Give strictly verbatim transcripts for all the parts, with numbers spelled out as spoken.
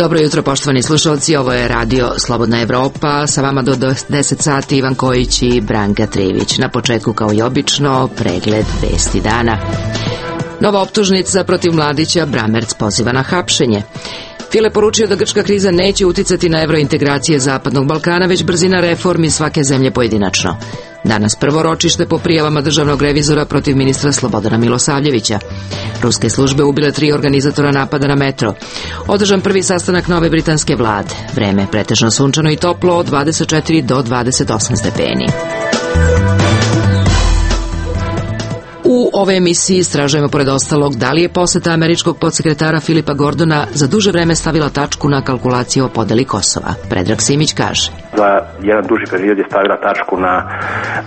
Dobro jutro, poštovani slušalci, ovo je Radio Slobodna Evropa, sa vama do deset sati Ivan Kojić i Branka Trivić. Na početku, kao i obično, pregled vesti dana. Nova optužnica protiv Mladića, Bramerc poziva na hapšenje. File poručio da grčka kriza neće uticati na evrointegracije Zapadnog Balkana, već brzina reformi svake zemlje pojedinačno. Danas prvo ročište po prijavama državnog revizora protiv ministra Slobodana Milosavljevića. Ruske službe ubile tri organizatora napada na metro. Održan prvi sastanak nove britanske vlade. Vreme pretežno sunčano i toplo od dvadeset četiri do dvadeset osam stepeni. U ovoj emisiji istražujemo pored ostalog da li je poseta američkog podsekretara Filipa Gordona za duže vreme stavila tačku na kalkulaciju o podeli Kosova. Predrag Simić kaže: za jedan duži period je stavila tačku na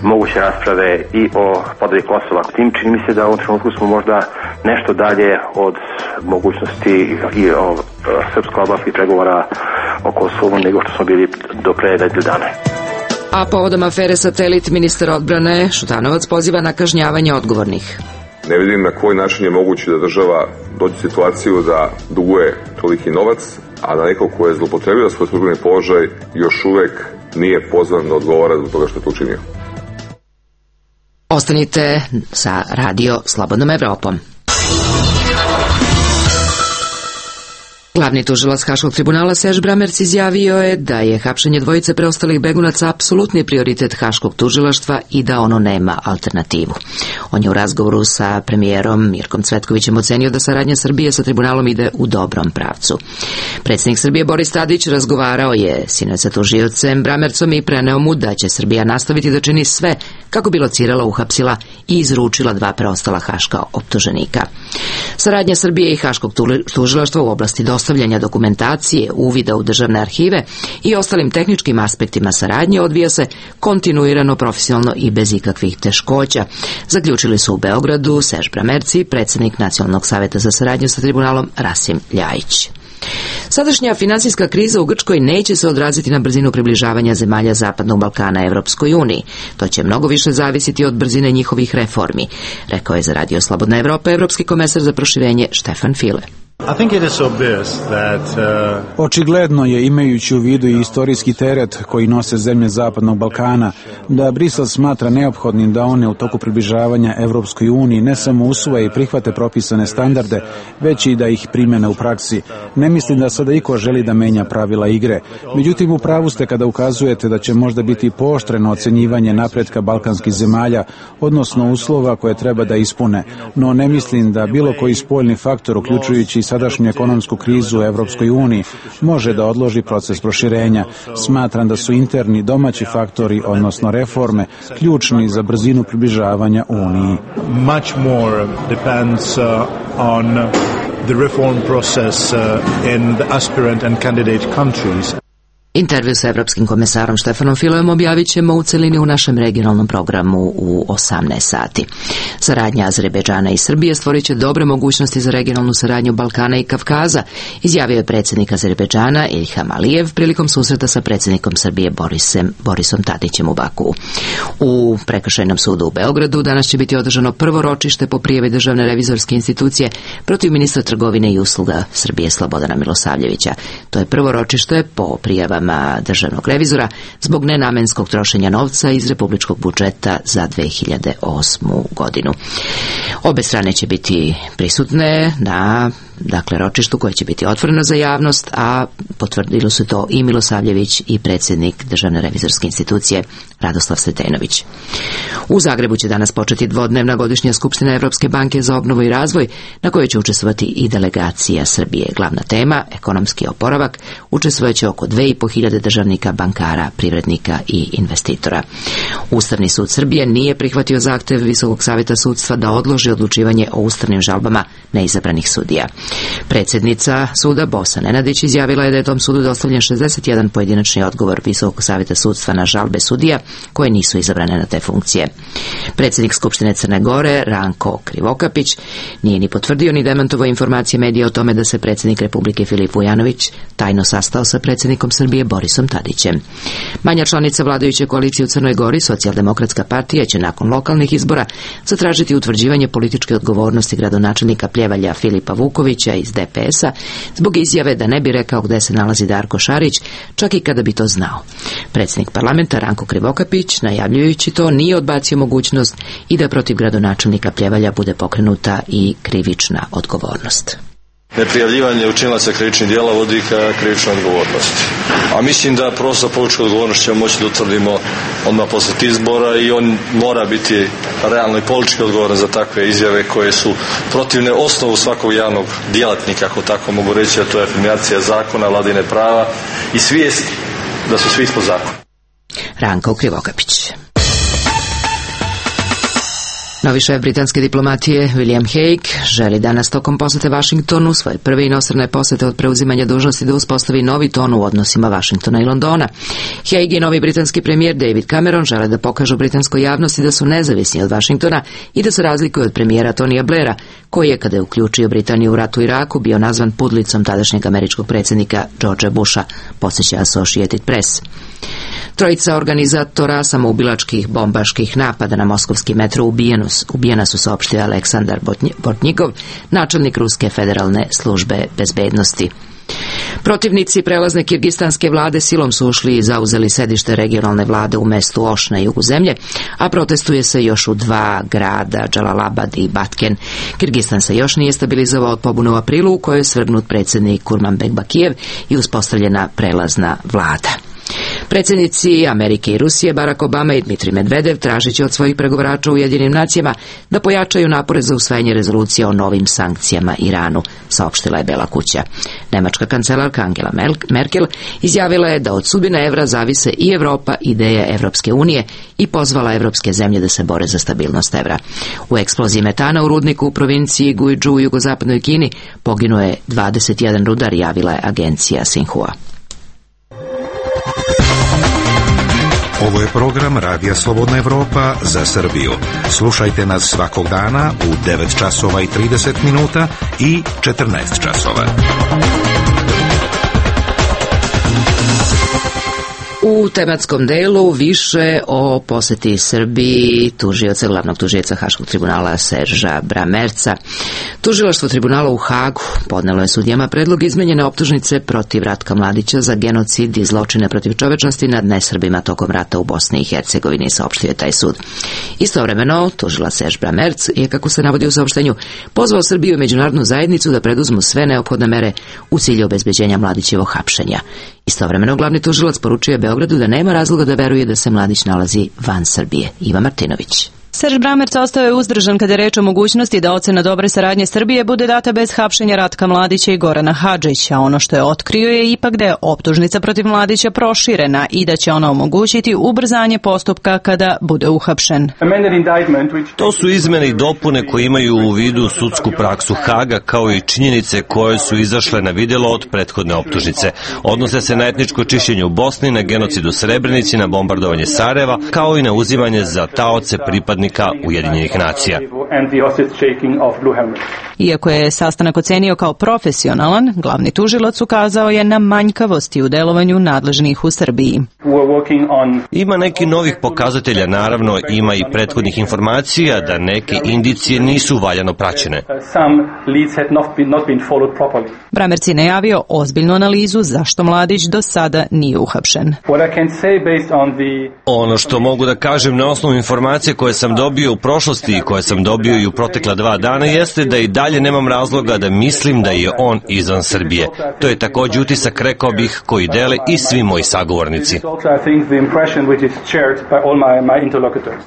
moguće rasprave i o podeli Kosova. Tim čini mi se da u ovom trenutku smo možda nešto dalje od mogućnosti i o srpsko-albanskih pregovora o Kosovu nego što smo bili do pre nedelju dana. A povodom afere Satelit, ministar odbrane Šutanovac poziva na kažnjavanje odgovornih. Ne vidim na koji način je moguće da država dođe u situaciju da duguje toliki novac, a da neko ko je zloupotrebio svoj službeni položaj još uvek nije pozvan da odgovara zbog toga što je to učinio. Ostanite sa Radio Slobodnom Evropom. Glavni tužilac Haškog tribunala Serž Bramerc izjavio je da je hapšenje dvojice preostalih begunaca apsolutni prioritet Haškog tužilaštva i da ono nema alternativu. On je u razgovoru sa premijerom Mirkom Cvetkovićem ocenio da saradnja Srbije sa tribunalom ide u dobrom pravcu. Predsjednik Srbije Boris Tadić razgovarao je sinoć sa tužiocem Bramercom i preneo mu da će Srbija nastaviti da čini sve kako bi locirala, uhapsila i izručila dva preostala haška optuženika. Saradnja Srbije i Haškog tužilaštva u oblasti dostavljanja dokumentacije, uvida u državne arhive i ostalim tehničkim aspektima saradnje odvija se kontinuirano, profesionalno i bez ikakvih teškoća, zaključili su u Beogradu Serž Bramerc i predsjednik Nacionalnog saveta za saradnju sa tribunalom Rasim Ljajić. Sadašnja finansijska kriza u Grčkoj neće se odraziti na brzinu približavanja zemalja Zapadnog Balkana Evropskoj uniji. To će mnogo više zavisiti od brzine njihovih reformi, rekao je za Radio Slobodna Evropa evropski komesar za proširenje Štefan File. Očigledno je, imajući u vidu i istorijski teret koji nose zemlje Zapadnog Balkana, da Brisel smatra neophodnim da one u toku približavanja Evropskoj uniji ne samo usvoje i prihvate propisane standarde, već i da ih primene u praksi. Ne mislim da sada iko želi da menja pravila igre. Međutim, u pravu ste kada ukazujete da će možda biti pooštreno ocenjivanje napretka balkanskih zemalja, odnosno uslova koje treba da ispune. No ne mislim da bilo koji spoljni faktor, uključujući sadašnju ekonomsku krizu u Evropskoj uniji, može da odloži proces proširenja. Smatram da su interni domaći faktori, odnosno reforme, ključni za brzinu približavanja Uniji. Much more depends uh, on the reform process uh, in the aspirant and candidate countries. Intervju sa evropskim komesarom Štefanom Fileom objavit ćemo u celini u našem regionalnom programu u osamnaest sati. Saradnja Azerbejdžana i Srbije stvorit će dobre mogućnosti za regionalnu saradnju Balkana i Kavkaza, izjavio je predsjednik Azerbejdžana Ilham Alijev prilikom susreta sa predsjednikom Srbije Borisem, Borisom Tadićem u Baku. U Prekršajnom sudu u Beogradu danas će biti održano prvo ročište po prijavi državne revizorske institucije protiv ministra trgovine i usluga Srbije Slobodana Milosavljevića. To je prvo ročište po prijavama državnog revizora zbog nenamenskog trošenja novca iz republičkog budžeta za dve hiljade osmu godinu. Obe strane će biti prisutne na dakle ročištu koje će biti otvoreno za javnost, a potvrdilo su to i Milosavljević i predsjednik državne revizorske institucije Radoslav Sretenović. U Zagrebu će danas početi dvodnevna godišnja skupština Evropske banke za obnovu i razvoj, na kojoj će učestvovati i delegacija Srbije. Glavna tema, ekonomski oporavak, učestvojeće oko dve i po hiljade državnika, bankara, privrednika i investitora. Ustavni sud Srbije nije prihvatio zahtev Visokog saveta sudstva da odloži odlučivanje o ustavnim žalbama neizabranih sudija. Predsjednica suda Bosa Nenadić izjavila je da je tom sudu dostavljen šezdeset jedan pojedinačni odgovor Visokog saveta sudstva na žalbe sudija koje nisu izabrane na te funkcije. Predsjednik Skupštine Crne Gore Ranko Krivokapić nije ni potvrdio ni demantovao informacije medija o tome da se predsjednik Republike Filip Vujanović tajno sastao sa predsjednikom Srbije Borisom Tadićem. Manja članica vladajuće koalicije u Crnoj Gori, Socijaldemokratska partija, će nakon lokalnih izbora zatražiti utvrđivanje političke odgovornosti gradonačelnika Pljevalja Filipa Vukovića Miljkovića iz D P S-a zbog izjave da ne bi rekao gde se nalazi Darko Šarić, čak i kada bi to znao. Predsjednik parlamenta Ranko Krivokapić, najavljujući to, nije odbacio mogućnost i da protiv gradonačelnika Pljevalja bude pokrenuta i krivična odgovornost. Neprijavljivanje učinilaca krivičnih djela vodi ka krivičnoj odgovornosti. A mislim da prostor za političku odgovornost ćemo moći da utvrdimo odmah poslije izbora i on mora biti realno i politički odgovoran za takve izjave koje su protivne osnovu svakog javnog djelatnika, ako tako mogu reći, a to je afirmacija zakona, vladine prava i svijest da su svi ispod zakona. Ranko Krivokapić. Novi šef britanske diplomatije William Hague želi danas tokom posete Vašingtonu, svoje prve inostrane posete od preuzimanja dužnosti, da uspostavi novi ton u odnosima Vašingtona i Londona. Hague i novi britanski premijer David Cameron žele da pokažu britanskoj javnosti da su nezavisni od Vašingtona i da se razlikuju od premijera Tonija Blaira, koji je, kada je uključio Britaniju u rat u Iraku, bio nazvan pudlicom tadašnjeg američkog predsjednika Georgea Busha, podsjeća Associated Press. Trojica organizatora samoubilačkih bombaških napada na moskovski metro ubijena, ubijena su, saopštio Aleksandar Bortnjikov, načelnik Ruske federalne službe bezbednosti. Protivnici prelazne kirgistanske vlade silom su ušli i zauzeli sedište regionalne vlade u mestu Oš na jugu zemlje, a protestuje se još u dva grada, Džalalabad i Batken. Kirgistan se još nije stabilizovao od pobune u aprilu, u kojoj je svrgnut predsjednik Kurmanbek Bakijev i uspostavljena prelazna vlada. Predsjednici Amerike i Rusije Barack Obama i Dmitrij Medvedev tražit će od svojih pregovarača u Ujedinjenim nacijama da pojačaju napore za usvajanje rezolucije o novim sankcijama Iranu, saopštila je Bela kuća. Nemačka kancelarka Angela Merkel izjavila je da od sudbine evra zavise i Evropa, ideje Evropske unije, i pozvala evropske zemlje da se bore za stabilnost evra. U eksploziji metana u rudniku u provinciji Guizhou u jugozapadnoj Kini poginuo je dvadeset jedan rudar, javila je agencija Xinhua. Ovo je program Radija Slobodna Evropa za Srbiju. Slušajte nas svakog dana u devet časova i trideset minuta i četrnaest časova. U tematskom delu više o poseti Srbiji tužioca, glavnog tužioca Haškog tribunala Serža Bramerca. Tužilaštvo tribunala u Hagu podnelo je sudijama predlog izmenjene optužnice protiv Ratka Mladića za genocid i zločine protiv čovečnosti nad nesrbima tokom rata u Bosni i Hercegovini, saopštio je taj sud. Istovremeno, tužilac Serž Bramerc je, kako se navodi u saopštenju, pozvao Srbiju i međunarodnu zajednicu da preduzmu sve neophodne mere u cilju obezbeđenja Mladićevog hapšenja. Istovremeno, glavni tužilac poručuje Beogradu da nema razloga da veruje da se Mladić nalazi van Srbije. Iva Martinović. Serž Bramerc ostao je uzdržan kada je reč o mogućnosti da ocena dobre saradnje Srbije bude data bez hapšenja Ratka Mladića i Gorana Hadžića. Ono što je otkrio je ipak da je optužnica protiv Mladića proširena i da će ona omogućiti ubrzanje postupka kada bude uhapšen. To su izmene i dopune koje imaju u vidu sudsku praksu Haga, kao i činjenice koje su izašle na vidjelo od prethodne optužnice. Odnose se na etničko čišćenje u Bosni, na genocid u Srebrenici, na bombardovanje Sarajeva, kao i na uzimanje za taoce pripadnika Ujedinjenih nacija. Iako je sastanak ocenio kao profesionalan, glavni tužilac ukazao je na manjkavosti u delovanju nadležnih u Srbiji. Ima neki novih pokazatelja, naravno ima i prethodnih informacija da neke indicije nisu valjano praćene. Bramerc je najavio ozbiljnu analizu zašto Mladić do sada nije uhapšen. Ono što mogu da kažem na osnovu informacije koje sam dobio u prošlosti i koje sam dobio i u protekla dva dana jeste da i dalje nemam razloga da mislim da je on izvan Srbije. To je također utisak, rekao bih, koji dele i svi moji sagovornici.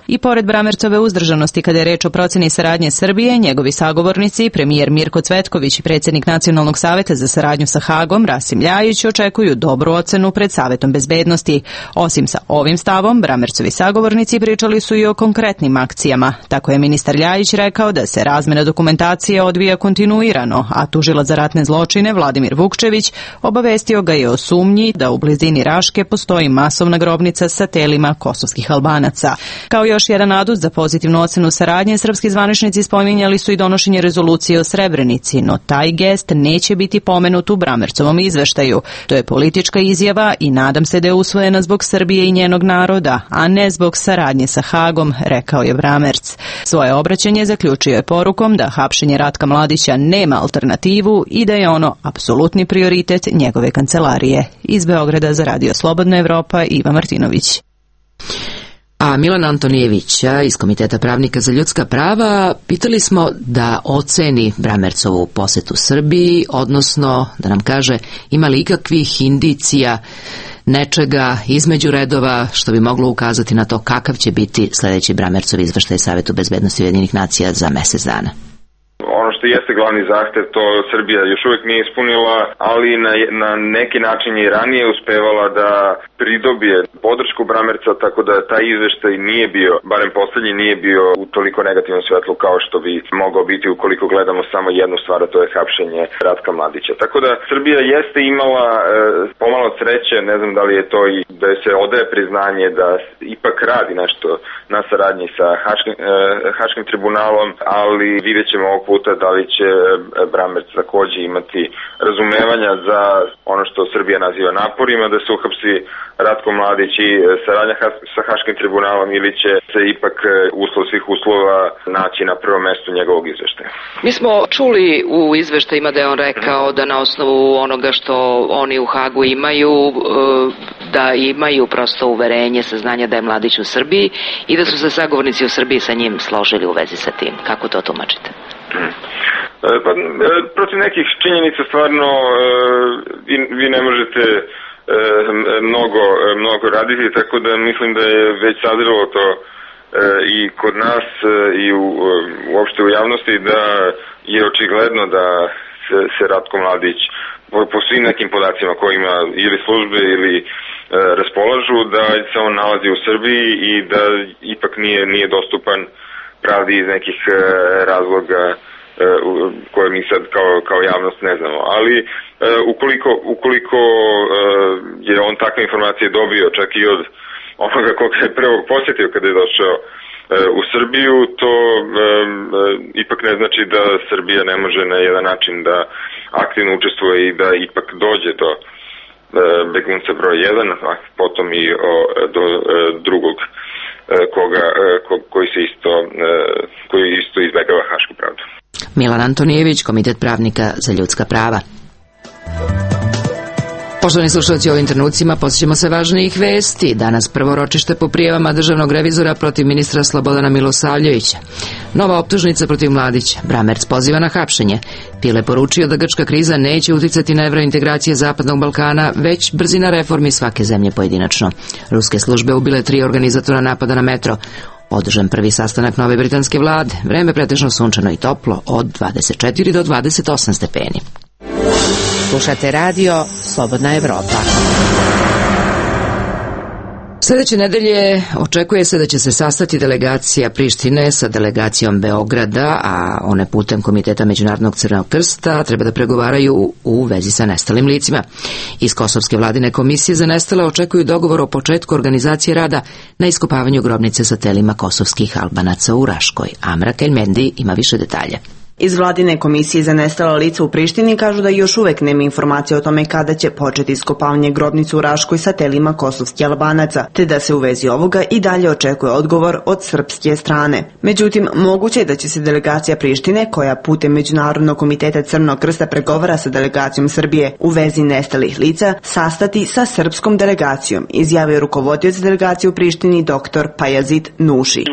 I pored Bramercove uzdržanosti kada je reč o proceni saradnje Srbije, njegovi sagovornici, premijer Mirko Cvetković i predsjednik Nacionalnog saveta za saradnju sa Hagom, Rasim Ljajić, očekuju dobru ocenu pred Savetom bezbednosti. Osim sa ovim stavom, Bramercovi sagovornici pričali su i o konkretnim akcijama. Tako je ministar Ljajić rekao da se razmena dokumentacije odvija kontinuirano, a tužilac za ratne zločine Vladimir Vukčević obavestio ga je o sumnji da u blizini Raške postoji masovna grobnica sa telima kosovskih Albanaca. Kao još jedan adut za pozitivnu ocenu saradnje, srpski zvaničnici spominjali su i donošenje rezolucije o Srebrenici, no taj gest neće biti pomenut u Bramercovom izveštaju. To je politička izjava i nadam se da je usvojena zbog Srbije i njenog naroda, a ne zbog saradnje sa Hagom, rekao Voja Bramerc. Svoje obraćanje zaključio je porukom da hapšenje Ratka Mladića nema alternativu i da je ono apsolutni prioritet njegove kancelarije. Iz Beograda za Radio Slobodna Evropa, Iva Martinović. A Milana Antonijevića iz Komiteta pravnika za ljudska prava pitali smo da oceni Bramercovu posetu Srbiji, odnosno da nam kaže ima li ikakvih indicija nečega između redova što bi moglo ukazati na to kakav će biti sledeći Bramercov izveštaj Savetu bezbednosti Ujedinjenih nacija za mesec dana. Ono što jeste glavni zahtev, to Srbija još uvijek nije ispunila, ali na, na neki način je i ranije uspevala da pridobije podršku Bramerca, tako da taj izveštaj nije bio, barem poslednji nije bio u toliko negativnom svetlu kao što bi mogao biti ukoliko gledamo samo jednu stvar, a to je hapšenje Ratka Mladića. Tako da Srbija jeste imala e, pomalo sreće, ne znam da li je to i da se odaje priznanje da ipak radi nešto na saradnji sa Haškim, e, Haškim tribunalom, ali vidjet ćemo ovog puta da li će Bramerc takođe imati razumevanja za ono što Srbija naziva naporima da se uhapsi Ratko Mladić i saradnja sa Haškim tribunalom, ili će se ipak uslov svih uslova naći na prvom mestu njegovog izveštaja. Mi smo čuli u izveštajima da je on rekao da na osnovu onoga što oni u Hagu imaju, da imaju prosto uverenje, saznanja da je Mladić u Srbiji i da su se sagovornici u Srbiji sa njim složili u vezi sa tim. Kako to tumačite? Pa, protiv nekih činjenica stvarno vi, vi ne možete mnogo, mnogo raditi, tako da mislim da je već sazrelo to i kod nas i u, uopšte u javnosti da je očigledno da se, se Ratko Mladić po, po svim nekim podacima kojima ili službe ili e, raspolažu da se on nalazi u Srbiji i da ipak nije, nije dostupan pravdi iz nekih e, razloga e, koje mi sad kao, kao javnost ne znamo. Ali e, ukoliko, ukoliko e, je on takve informacije dobio čak i od onoga koga je prvo posjetio kada je došao e, u Srbiju, to e, e, ipak ne znači da Srbija ne može na jedan način da aktivno učestvuje i da ipak dođe do e, begunca broj jedan, a potom i o, do e, drugog e, koga, e, ko, koji se isto, e, koji isto izbegava hašku pravdu. Milan Antonijević, Komitet pravnika za ljudska prava. Poštovani slušalci, u ovim trenucima posjećamo se važnijih vesti. Danas prvo ročište po prijavama državnog revizora protiv ministra Slobodana Milosavljevića. Nova optužnica protiv Mladića. Bramerc poziva na hapšenje. Pile poručio da grčka kriza neće uticati na evrointegracije Zapadnog Balkana, već brzina reformi svake zemlje pojedinačno. Ruske službe ubile tri organizatora napada na metro. Održan prvi sastanak nove britanske vlade. Vreme pretežno sunčano i toplo od dvadeset četiri do dvadeset osam stepeni. Slušate radio Slobodna Evropa. Sljedeće nedelje očekuje se da će se sastati delegacija Prištine sa delegacijom Beograda, a one putem Komiteta Međunarodnog Crvenog krsta treba da pregovaraju u vezi sa nestalim licima. Iz Kosovske vladine komisije za nestale očekuju dogovor o početku organizacije rada na iskopavanju grobnice sa telima kosovskih Albanaca u Raškoj. Amra Keljmendi ima više detalje. Iz vladine komisije za nestala lica u Prištini kažu da još uvek nema informacije o tome kada će početi iskopavanje grobnice u Raškoj sa telima kosovskih Albanaca, te da se u vezi ovoga i dalje očekuje odgovor od srpske strane. Međutim, moguće je da će se delegacija Prištine, koja putem Međunarodnog komiteta Crvenog krsta pregovara sa delegacijom Srbije u vezi nestalih lica, sastati sa srpskom delegacijom, izjavio rukovodioc delegacije u Prištini dr. Pajazit Nuši.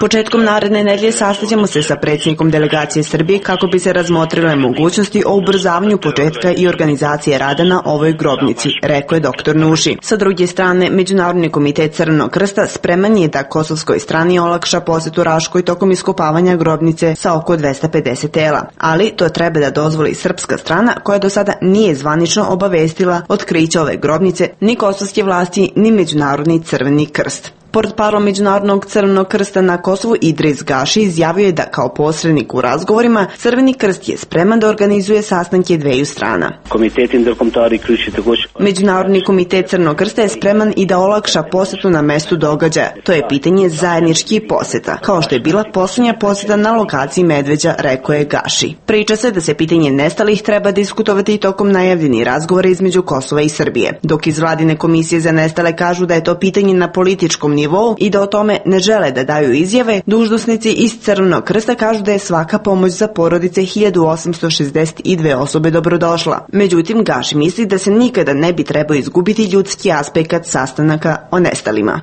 Početkom naredne nedelje sastaćemo se sa predsjednikom delegacije Srbije kako bi se razmotrile mogućnosti o ubrzavanju početka i organizacije rada na ovoj grobnici, rekao je dr. Nuši. Sa druge strane, Međunarodni komitet Crvenog krsta spreman je da kosovskoj strani olakša posetu Raškoj tokom iskopavanja grobnice sa oko dvesta pedeset tela, ali to treba da dozvoli srpska strana koja do sada nije zvanično obavestila otkriće ove grobnice ni kosovske vlasti ni Međunarodni Crveni krst. Portparol Međunarodnog Crvenog krsta na Kosovu Idris Gaši izjavio je da kao posrednik u razgovorima Crveni krst je spreman da organizuje sastanke dveju strana. Međunarodni komitet Crvenog krsta je spreman i da olakša posetu na mestu događaja. To je pitanje zajedničkih poseta, kao što je bila poslednja poseta na lokaciji Medveđa, rekao je Gaši. Priča se da se pitanje nestalih treba diskutovati i tokom najavljenih razgovora između Kosova i Srbije, dok iz vladine komisije za nestale kažu da je to pitanje na političkom nivou i da o tome ne žele da daju izjave, dužnosnici iz Crvenog krsta kažu da je svaka pomoć za porodice hiljadu osamsto šezdeset dve osobe dobrodošla. Međutim, Gaši misli da se nikada ne bi trebao izgubiti ljudski aspekt sastanaka o nestalima.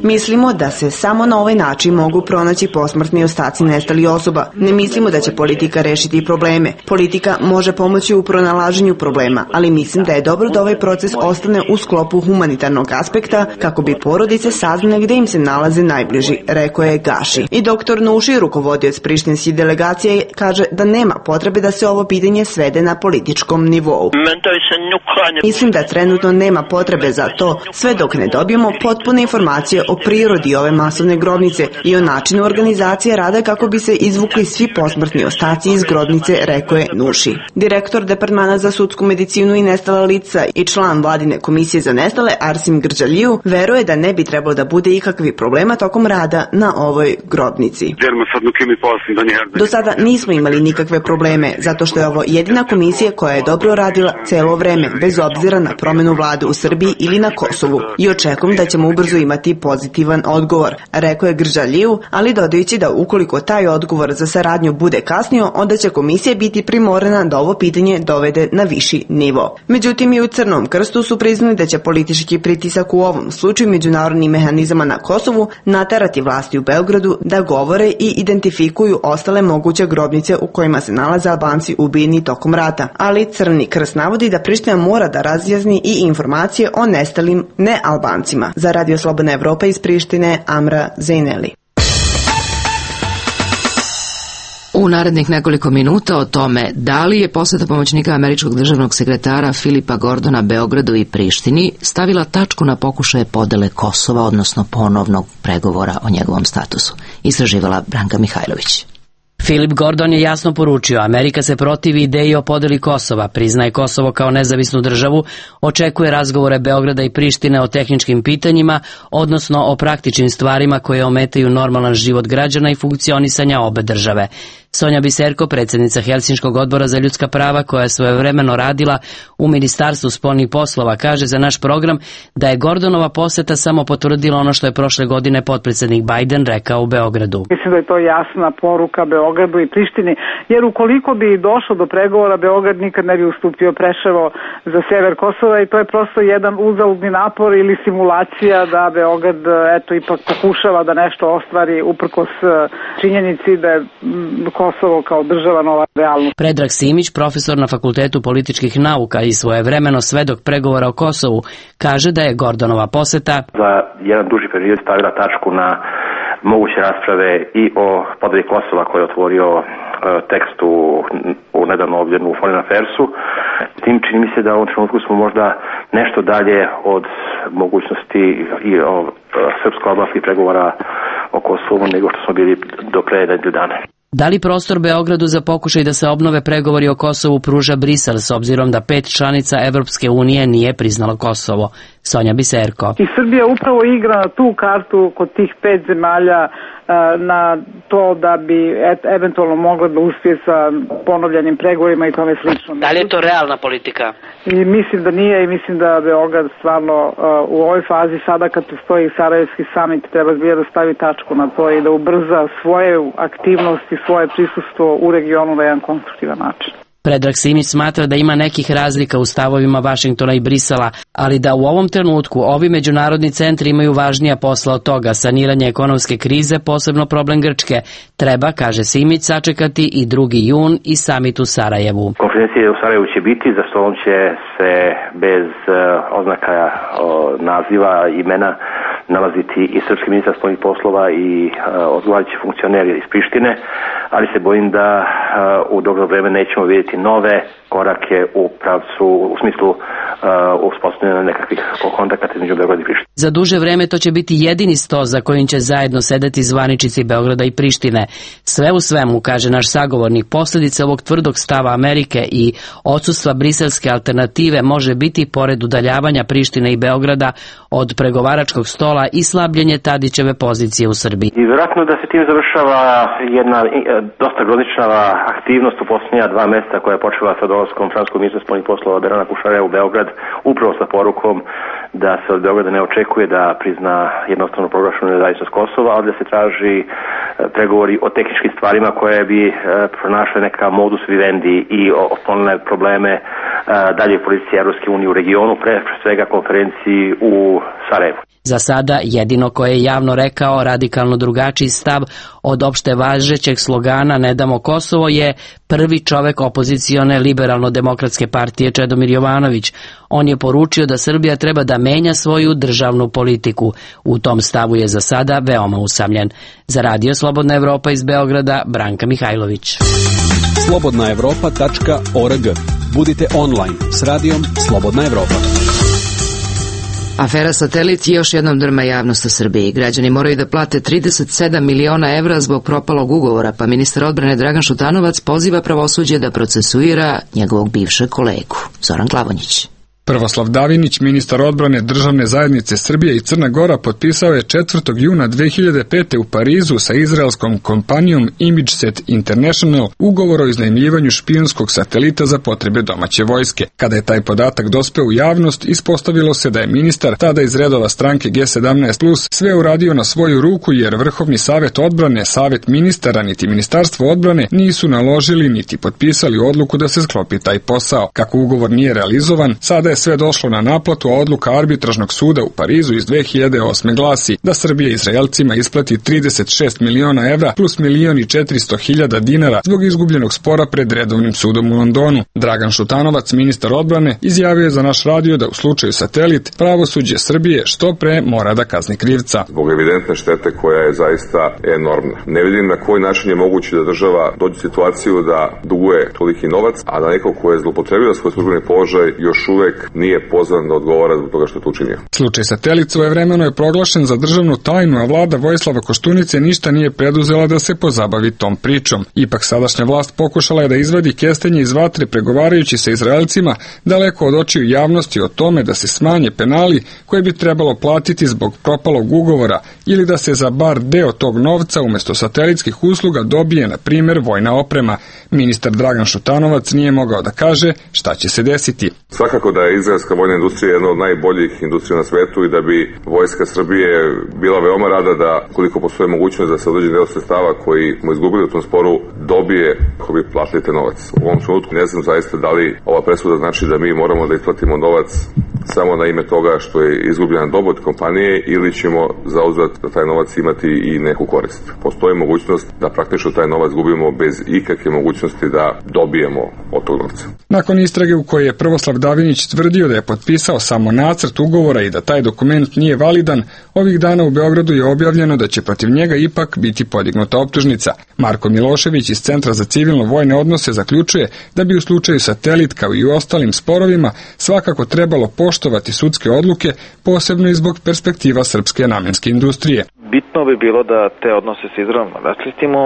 Mislimo da se samo na ovaj način mogu pronaći posmrtni ostaci nestalih osoba. Ne mislimo da će politika rešiti probleme. Politika može pomoći u pronalaženju problema, ali mislim da je dobro da ovaj proces ostane u sklopu humanitarnog aspekta kako bi porodice saznale gde im se nalaze najbliži, rekao je Gaši. I doktor Nuši, rukovodioc prištinske delegacije, kaže da nema potrebe da se ovo pitanje svede na političkom nivou. Mislim da trenutno nema potrebe za to, sve dok ne dobijemo potpune informacije o prirodi ove masovne grobnice i o načinu organizacije rada kako bi se izvukli svi posmrtni ostaci iz grobnice, rekao je Nuši. Direktor Departmana za sudsku medicinu i nestala lica i član vladine komisije za nestale Arsim Grđaliju veruje da ne bi trebalo da bude ikakvih problema tokom rada na ovoj grobnici. Do sada nismo imali nikakve probleme, zato što je ovo jedina komisija koja je dobro radila celo vreme, bez obzira na promenu vlade u Srbiji ili na Kosovu. I očekujem da ćemo ubrzo imati pozitivan odgovor, rekao je Grđaliju, ali dodajući da ukoliko taj odgovor za saradnju bude kasnio, onda će komisija biti primorana da ovo pitanje dovede na viši nivo. Međutim, i u Crnom krstu su priznali da će politički pritisak u ovom slučaju međunarodnih mehanizama na Kosovu naterati vlasti u Beogradu da govore i identifikuju ostale moguće grobnice u kojima se nalaze Albanci ubijeni tokom rata. Ali Crni krst navodi da Priština mora da razjasni i informacije o nestalim nealbancima. Za Radio Slobodna Evropa iz Prištine, Amra Zejneli. U narednih nekoliko minuta o tome da li je poseta pomoćnika američkog državnog sekretara Filipa Gordona Beogradu i Prištini stavila tačku na pokušaje podele Kosova, odnosno ponovnog pregovora o njegovom statusu. Istraživala Branka Mihajlović. Filip Gordon je jasno poručio, Amerika se protivi ideji o podeli Kosova, priznaje Kosovo kao nezavisnu državu, očekuje razgovore Beograda i Prištine o tehničkim pitanjima, odnosno o praktičnim stvarima koje ometaju normalan život građana i funkcionisanja obe države. Sonja Biserko, predsjednica Helsinškog odbora za ljudska prava koja je svojevremeno radila u Ministarstvu spoljnih poslova, kaže za naš program da je Gordonova poseta samo potvrdila ono što je prošle godine potpredsjednik Biden rekao u Beogradu. Mislim da je to jasna poruka Beogradu i Prištini, jer ukoliko bi došlo do pregovora, Beograd nikad ne bi ustupio Preševo za sever Kosova i to je prosto jedan uzaludni napor ili simulacija da Beograd eto ipak pokušava da nešto ostvari uprkos činjenici da je Kosovo kao država nova realnost. Predrag Simić, profesor na Fakultetu političkih nauka i svojevremeno svedok pregovora o Kosovu, kaže da je Gordonova poseta za jedan duži period stavila tačku na moguće rasprave i o podeli Kosova koji je otvorio tekst u, u nedavno objavljenu u Foreign Affairsu. Tim čini mi se da u ovom trenutku smo možda nešto dalje od mogućnosti i o srpsko-albanskih pregovora o Kosovu nego što smo bili do pre nedelju dana. Da li prostor Beogradu za pokušaj da se obnove pregovori o Kosovu pruža Brisel s obzirom da pet članica Evropske unije nije priznalo Kosovo? Sonja Biserko. I Srbija upravo igra na tu kartu kod tih pet zemalja na to da bi et, eventualno mogla da uspije sa ponovljenim pregovorima i tome slično. Da li je to realna politika? I mislim da nije i mislim da Beograd stvarno u ovoj fazi sada kad postoji Sarajevski samit treba zbilja da stavi tačku na to i da ubrza svoje aktivnosti, svoje prisustvo u regionu na jedan konstruktivan način. Predrag Simić smatra da ima nekih razlika u stavovima Vašingtona i Brisela, ali da u ovom trenutku ovi međunarodni centri imaju važnija posla od toga, saniranje ekonomske krize, posebno problem Grčke. Treba, kaže Simić, sačekati i drugi jun i samit u Sarajevu. Konferencija u Sarajevu će biti, za stolom će se bez uh, oznaka uh, naziva, imena nalaziti i srpski ministar spoljnih poslova i uh, odgovarajući funkcioneri iz Prištine, ali se bojim da uh, u dobro vreme nećemo vidjeti nove korake u pravcu, u smislu uh, uspostavljanja nekakvih kontakata između Beograda i Prištine. Za duže vreme to će biti jedini sto za kojim će zajedno sedeti zvaničici Beograda i Prištine. Sve u svemu, kaže naš sagovornik, posljedica ovog tvrdog stava Amerike i odsustva briselske alternative može biti, pored udaljavanja Prištine i Beograda od pregovaračkog stola, i slabljenje Tadićeve pozicije u Srbiji. I vjerojatno da se tim završava jedna dosta grozničava aktivnost u posljednja dva mjeseca koja je počela sa dolaskom francuskog ministra spoljnih poslova Berana Kušarea u Beograd Beograd upravo sa porukom da se od Beograda ne očekuje da prizna jednostavno proglašenu nezavisnost Kosova, ali da se traži pregovori o tehničkim stvarima koje bi pronašle neka modus vivendi i otklonile probleme dalje politici Evropske unije u regionu, pre svega konferenciji u Sarajevu. Za sada jedino koje je javno rekao radikalno drugačiji stav od opšte važećeg slogana Ne damo Kosovo je prvi čovek opozicione liberalno-demokratske partije Čedomir Jovanović. On je poručio da Srbija treba da menja svoju državnu politiku. U tom stavu je za sada veoma usamljen. Za Radio Slobodna Evropa iz Beograda, Branka Mihajlović. slobodna evropa tačka org. Budite online s radijom Slobodna Evropa. Afera Satelit još jednom drma javnost u Srbiji. Građani moraju da plate trideset sedam miliona evra zbog propalog ugovora, pa ministar odbrane Dragan Šutanovac poziva pravosuđe da procesuira njegovog bivšeg kolegu. Zoran Glavonjić. Prvoslav Davinić, ministar odbrane Državne zajednice Srbije i Crna Gora, potpisao je četvrtog juna dve hiljade pete. u Parizu sa izraelskom kompanijom ImageSet International ugovor o iznajmljivanju špijunskog satelita za potrebe domaće vojske. Kada je taj podatak dospeo u javnost, ispostavilo se da je ministar, tada iz redova stranke G sedamnaest plus, sve uradio na svoju ruku jer Vrhovni savet odbrane, savet ministara niti ministarstvo odbrane nisu naložili niti potpisali odluku da se sklopi taj posao. Kako ugovor nije realizovan, sada je sve došlo na naplatu, a odluka arbitražnog suda u Parizu iz dve hiljade osme. glasi da Srbija Izraelcima isplati trideset šest miliona evra plus milion i četiristo hiljada dinara zbog izgubljenog spora pred redovnim sudom u Londonu. Dragan Šutanovac, ministar odbrane, izjavio je za naš radio da u slučaju Satelit pravosuđe Srbije što pre mora da kazni krivca. Zbog evidentne štete koja je zaista enormna. Ne vidim na koji način je moguće da država dođe u situaciju da duguje toliki novac, a da neko ko je zloupotrebio svoj službeni položaj još uvek nije pozvan da odgovara zbog toga što je to učinio. Slučaj Satelit svojevremeno je proglašen za državnu tajnu, a vlada Vojislava Koštunice ništa nije preduzela da se pozabavi tom pričom. Ipak sadašnja vlast pokušala je da izvadi kestenje iz vatre pregovarajući sa Izraelcima daleko od očiju javnosti o tome da se smanje penali koje bi trebalo platiti zbog propalog ugovora ili da se za bar deo tog novca umesto satelitskih usluga dobije, na primjer, vojna oprema. Ministar Dragan Šutanovac nije mogao da kaže šta će se desiti. Svakako da je izraelska vojna industrija jedna od najboljih industrija na svetu i da bi vojska Srbije bila veoma rada da, koliko postoje mogućnost da se određen deo sredstava koji smo izgubili u tom sporu, dobije ako bi platili te novac. U ovom trenutku ne znam zaista da li ova presuda znači da mi moramo da isplatimo novac samo na ime toga što je izgubljena dobit kompanije ili ćemo zauzvrat da taj novac imati i neku korist. Postoji mogućnost da praktično taj novac gubimo bez ikakve mogućnosti da dobijemo od tog novca. Nakon istrage u kojoj je Prvoslav Davinić tvrdio da je potpisao samo nacrt ugovora i da taj dokument nije validan, ovih dana u Beogradu je objavljeno da će protiv njega ipak biti podignuta optužnica. Marko Milošević iz Centra za civilno-vojne odnose zaključuje da bi u slučaju Satelit kao i u ostalim sporovima svakako trebalo poštovati sudske odluke, posebno i zbog perspektiva srpske namenske industrije. Bitno bi bilo da te odnose s Izraelom raščistimo,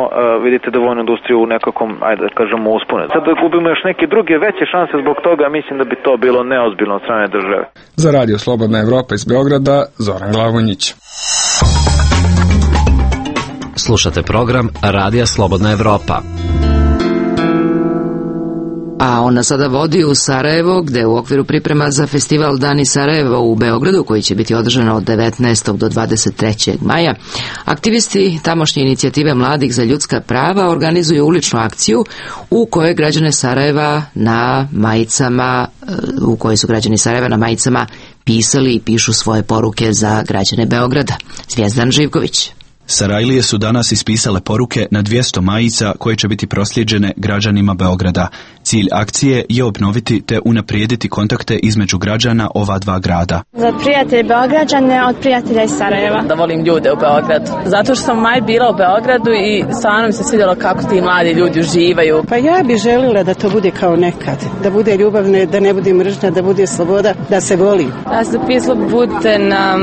vidite da vojnu industriju u nekakvom, ajde da kažemo, uspone. Sad da gubimo još neke druge veće šanse zbog toga, mislim da bi to bilo neozbiljno od strane države. Za Radio Slobodna Evropa iz Beograda, Zoran Glavonjić. Slušate program Radija Slobodna Evropa. A ona sada vodi u Sarajevo, gde u okviru priprema za festival Dani Sarajeva u Beogradu, koji će biti održan od devetnaestog do dvadeset trećeg maja, aktivisti tamošnje inicijative Mladih za ljudska prava organizuju uličnu akciju u kojoj građane Sarajeva na majicama, u kojoj su građani Sarajeva na majicama pisali i pišu svoje poruke za građane Beograda. Zvijezdan Živković. Sarajlije su danas ispisale poruke na dvjesto majica koje će biti proslijeđene građanima Beograda. Cilj akcije je obnoviti te unaprijediti kontakte između građana ova dva grada. Za prijatelje Beograđane od prijatelja iz Sarajeva. Da volim ljude u Beogradu. Zato što sam maj bila u Beogradu i stvarno mi se svidjelo kako ti mladi ljudi uživaju. Pa ja bih željela da to bude kao nekad. Da bude ljubavno, da ne bude mržnja, da bude sloboda, da se voli. Da se zapisalo budite nam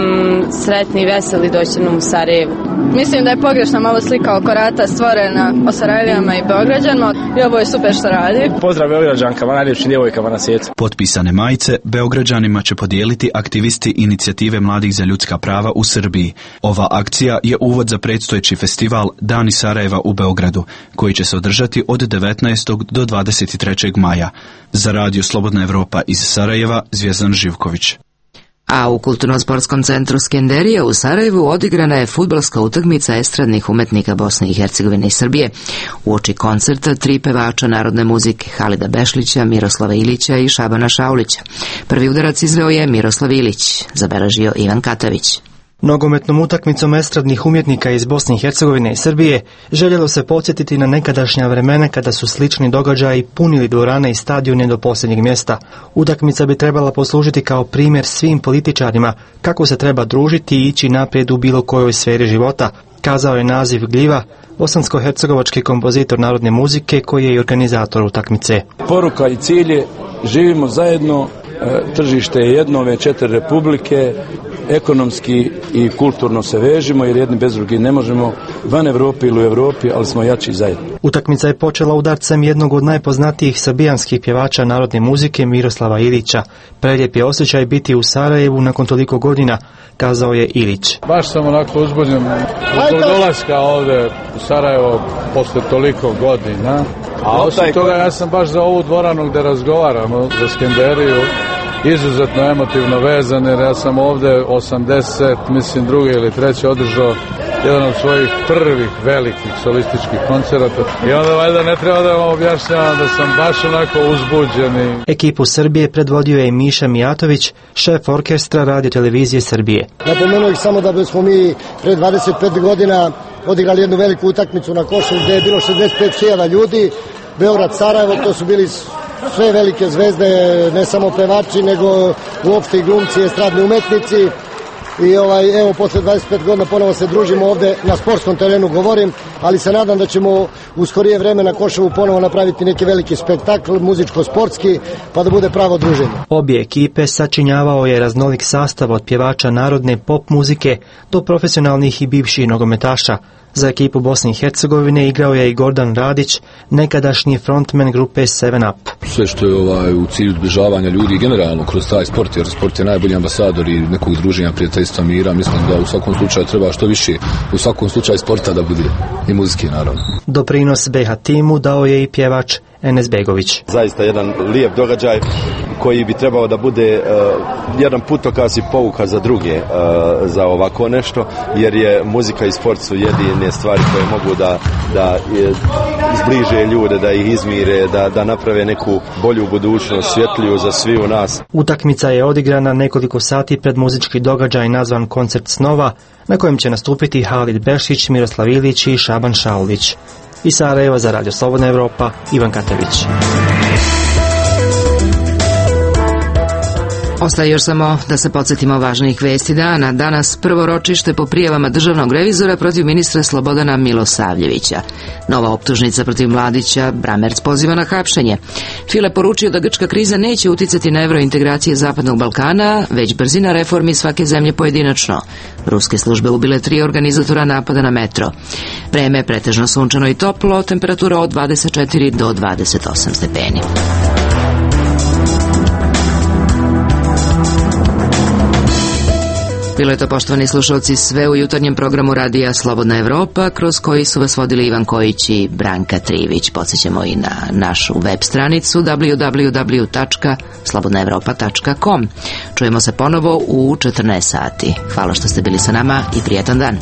sretni i veseli doći nam u Sarajevu. Mislim da je pogrešna malo slika oko rata stvorena o Sarajevima i Beograđanima i ovo je super što radi. Pozdrav Beograđankama, najljepšim djevojkama na svijetu. Potpisane majice Beograđanima će podijeliti aktivisti Inicijative mladih za ljudska prava u Srbiji. Ova akcija je uvod za predstojeći festival Dani Sarajeva u Beogradu, koji će se održati od devetnaestog do dvadeset trećeg maja. Za radio Slobodna Evropa iz Sarajeva, Zvjezdan Živković. A u Kulturno-sportskom centru Skenderija u Sarajevu odigrana je fudbalska utakmica estradnih umetnika Bosne i Hercegovine i Srbije. Uoči koncerta tri pevača narodne muzike Halida Bešlića, Miroslava Ilića i Šabana Šaulića. Prvi udarac izveo je Miroslav Ilić, zabeležio Ivan Katavić. Nogometnom utakmicom estradnih umjetnika iz Bosne i Hercegovine i Srbije željelo se podsjetiti na nekadašnja vremena kada su slični događaji punili dvorane i stadione do posljednjeg mjesta. Utakmica bi trebala poslužiti kao primjer svim političarima kako se treba družiti i ići naprijed u bilo kojoj sferi života, kazao je Naziv Gljiva, bosansko-hercegovački kompozitor narodne muzike koji je i organizator utakmice. Poruka i cilj je živimo zajedno, tržište je jedno, ove četiri republike, ekonomski i kulturno se vežimo jer jedni bez drugih ne možemo, van Evrope ili u Evropi, ali smo jači zajedno. Utakmica je počela udarcem jednog od najpoznatijih srbijanskih pjevača narodne muzike Miroslava Ilića. Prelijep je osjećaj biti u Sarajevu nakon toliko godina, kazao je Ilić. Baš sam onako uzbuđen zbog dolaska ovdje u Sarajevo posle toliko godina, a osim toga ja sam baš za ovu dvoranu gdje razgovaramo, za Skenderiju, izuzetno emotivno vezan, jer ja sam ovdje osamdeset, mislim druge ili treće održao jedan od svojih prvih velikih solističkih koncerata. I onda valjda ne treba da vam objašnjavam da sam baš onako uzbuđen. Ekipu Srbije predvodio je Miša Mijatović, šef orkestra Radio televizije Srbije. Napomenuo ih samo da smo mi pre dvadeset pet godina odigrali jednu veliku utakmicu na Košavu gdje je bilo šezdeset pet hiljada ljudi, Beograd, Sarajevo, to su bili sve velike zvezde, ne samo pevači, nego uopšte i glumci, estradni umetnici. I ovaj, evo, posle dvadeset pet godina ponovo se družimo ovde na sportskom terenu, govorim, ali se nadam da ćemo u skorije vreme na Košavu ponovo napraviti neki veliki spektakl, muzičko-sportski, pa da bude pravo druženje. Obje ekipe sačinjavao je raznolik sastav od pjevača narodne pop muzike do profesionalnih i bivših nogometaša. Za ekipu Bosne i Hercegovine igrao je i Gordan Radić, nekadašnji frontman grupe Seven Up. Sve što je ovaj, u cilju zbližavanja ljudi generalno kroz taj sport, jer sport je najbolji ambasador i nekog druženja, prijateljstva, mira. Mislim da u svakom slučaju treba što više, u svakom slučaju sporta da bude i muzike naravno. Doprinos B H timu dao je i pjevač Enes Begović. Zaista jedan lijep događaj koji bi trebao da bude uh, jedan putokaz i pouka za druge uh, za ovako nešto, jer je muzika i sport su jedine stvari koje mogu da, da je, izbliže ljude, da ih izmire, da, da naprave neku bolju budućnost, svjetliju za svi u nas. Utakmica je odigrana nekoliko sati pred muzički događaj nazvan Koncert snova, na kojem će nastupiti Halid Bešlić, Miroslav Ilić i Šaban Šaulić. Iz Sarajeva za Radio Slobodna Evropa, Ivan Katavić. Ostaje još samo da se podsjetimo važnih vesti dana. Danas prvo ročište po prijavama državnog revizora protiv ministra Slobodana Milosavljevića. Nova optužnica protiv Mladića, Bramerc poziva na hapšenje. File poručio da grčka kriza neće uticati na evrointegracije Zapadnog Balkana, već brzina reformi svake zemlje pojedinačno. Ruske službe ubile tri organizatora napada na metro. Vreme je pretežno sunčano i toplo, temperatura od dvadeset četiri do dvadeset osam stepeni. Bilo je to, poštovani slušalci, sve u jutarnjem programu radija Slobodna Evropa, kroz koji su vas vodili Ivan Kojić i Branka Trivić. Podsjećamo i na našu web stranicu w w w tačka slobodna evropa tačka com. Čujemo se ponovo u četrnaest sati. Hvala što ste bili sa nama i prijatan dan.